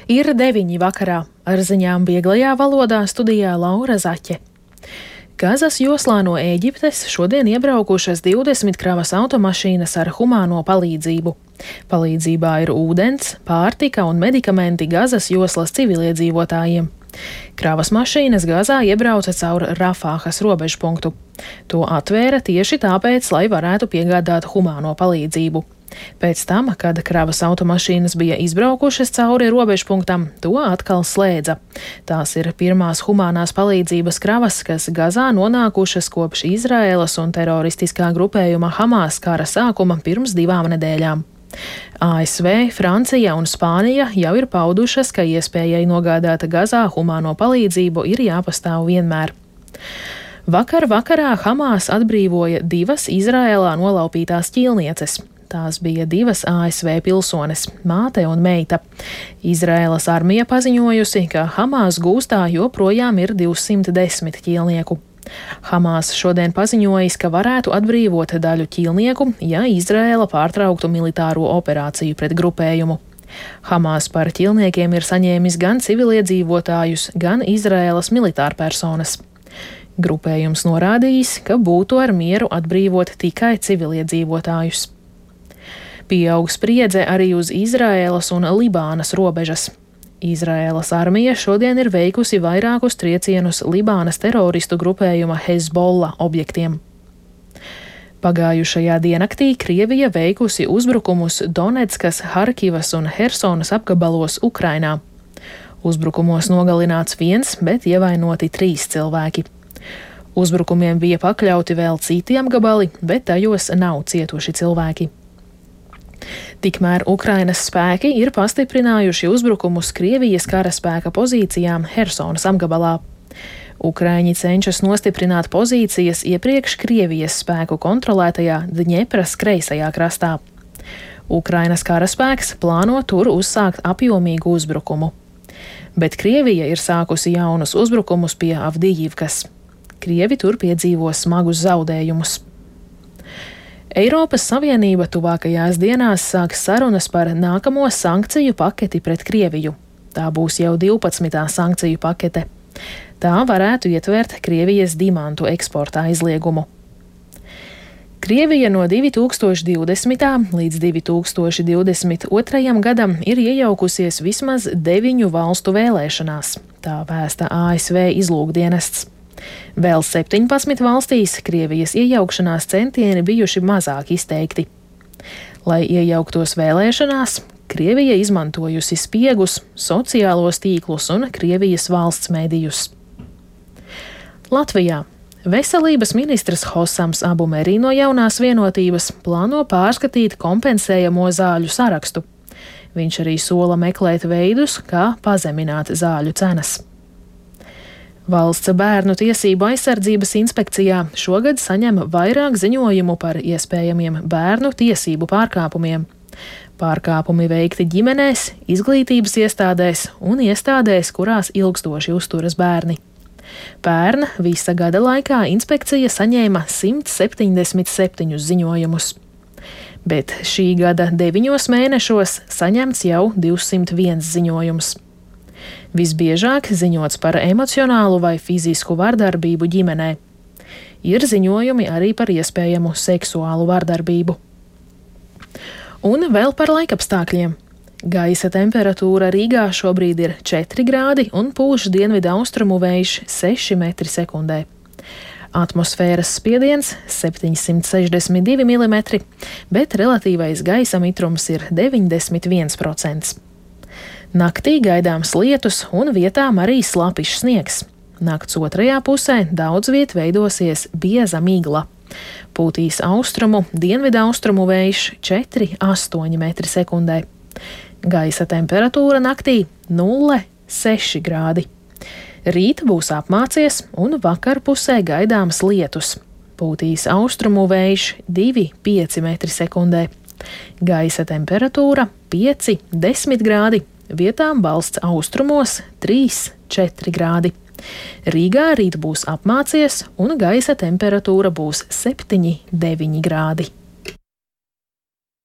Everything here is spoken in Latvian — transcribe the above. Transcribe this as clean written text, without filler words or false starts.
Ir 9 vakarā. Ar ziņām vieglajā valodā studijā Laura Zaķe. Gazas joslā no Ēģiptes šodien iebraukušas 20 kravas automašīnas ar humāno palīdzību. Palīdzībā ir ūdens, pārtika un medikamenti Gazas joslas civiliedzīvotājiem. Kravas mašīnas Gazā iebrauca caur Rafāhas robežpunktu. To atvēra tieši tāpēc, lai varētu piegādāt humāno palīdzību. Pēc tam, kad kravas automašīnas bija izbraukušas cauri robežpunktam, to atkal slēdza. Tās ir pirmās humānās palīdzības kravas, kas Gazā nonākušas kopš Izraēlas un teroristiskā grupējuma Hamas kara sākuma pirms 2 nedēļām. ASV, Francija un Spānija jau ir paudušas, ka iespējai nogādāt Gazā humāno palīdzību ir jāpastāv vienmēr. Vakar vakarā Hamas atbrīvoja 2 Izraēlā nolaupītās ķīlnieces. Tās bija 2 ASV pilsones, māte un meita. Izraēlas armija paziņojusi, ka Hamas gūstā joprojām ir 210 ķīlnieku. Hamas šodien paziņojis, ka varētu atbrīvot daļu ķīlnieku, ja Izraēla pārtrauktu militāro operāciju pret grupējumu. Hamas par ķīlniekiem ir saņēmis gan civiliedzīvotājus, gan Izraēlas militārpersonas. Grupējums norādījis, ka būtu ar mieru atbrīvot tikai civiliedzīvotājus. Pieaug spriedze arī uz Izraēlas un Libānas robežas. Izraēlas armija šodien ir veikusi vairākus triecienus Libānas teroristu grupējuma Hezbollah objektiem. Pagājušajā diennaktī Krievija veikusi uzbrukumus Donetskas, Harkivas un Hersonas apgabalos Ukrainā. Uzbrukumos nogalināts 1, bet ievainoti 3 cilvēki. Uzbrukumiem bija pakļauti vēl citi apgabali, bet tajos nav cietuši cilvēki. Tikmēr Ukrainas spēki ir pastiprinājuši uzbrukumus Krievijas karaspēka pozīcijām Hersonas apgabalā. Ukraiņi cenšas nostiprināt pozīcijas iepriekš Krievijas spēku kontrolētajā Dņepras kreisajā krastā. Ukrainas karaspēks plāno tur uzsākt apjomīgu uzbrukumu. Bet Krievija ir sākusi jaunus uzbrukumus pie Avdijivkas. Krievi tur piedzīvo smagus zaudējumus. Eiropas Savienība tuvākajās dienās sāks sarunas par nākamo sankciju paketi pret Krieviju. Tā būs jau 12. sankciju pakete. Tā varētu ietvert Krievijas dimantu eksporta aizliegumu. Krievija no 2020. līdz 2022. gadam ir iejaukusies vismaz 9 valstu vēlēšanās, tā vēsta ASV izlūkdienests. Vēl 17 valstīs Krievijas iejaukšanās centieni bijuši mazāk izteikti. Lai iejauktos vēlēšanās, Krievija izmantojusi spiegus, sociālos tīklus un Krievijas valsts medijus. Latvijā veselības ministrs Hosams Abumeri no Jaunās vienotības plāno pārskatīt kompensējamo zāļu sarakstu. Viņš arī sola meklēt veidus, kā pazemināt zāļu cenas. Valsts bērnu tiesību aizsardzības inspekcijā šogad saņem vairāk ziņojumu par iespējamiem bērnu tiesību pārkāpumiem. Pārkāpumi veikti ģimenēs, izglītības iestādēs un iestādēs, kurās ilgstoši uzturas bērni. Pērn visa gada laikā inspekcija saņēma 177 ziņojumus. Bet šī gada 9 mēnešos saņemts jau 201 ziņojums. Visbiežāk ziņots par emocionālu vai fizisku vardarbību ģimenē. Ir ziņojumi arī par iespējamu seksuālu vardarbību. Un vēl par laikapstākļiem. Gaisa temperatūra Rīgā šobrīd ir 4 grādi un pūš dienvidu austrumu vējš 6 metri sekundē. Atmosfēras spiediens 762 mm, bet relatīvais gaisa mitrums ir 91%. Naktī gaidāms lietus un vietām arī slapišs sniegs. Nakts otrajā pusē daudz viet veidosies bieza migla. Pūtīs austrumu, dienvidu austrumu vējš 4,8 metri sekundē. Gaisa temperatūra naktī 0,6 grādi. Rīt būs apmācies un vakarpusē gaidāms lietus. Pūtīs austrumu vējš 2,5 metri sekundē. Gaisa temperatūra 5,10 grādi. Vietām valsts austrumos 3,4 grādi. Rīgā rīt būs apmācies un gaisa temperatūra būs 7,9 grādi.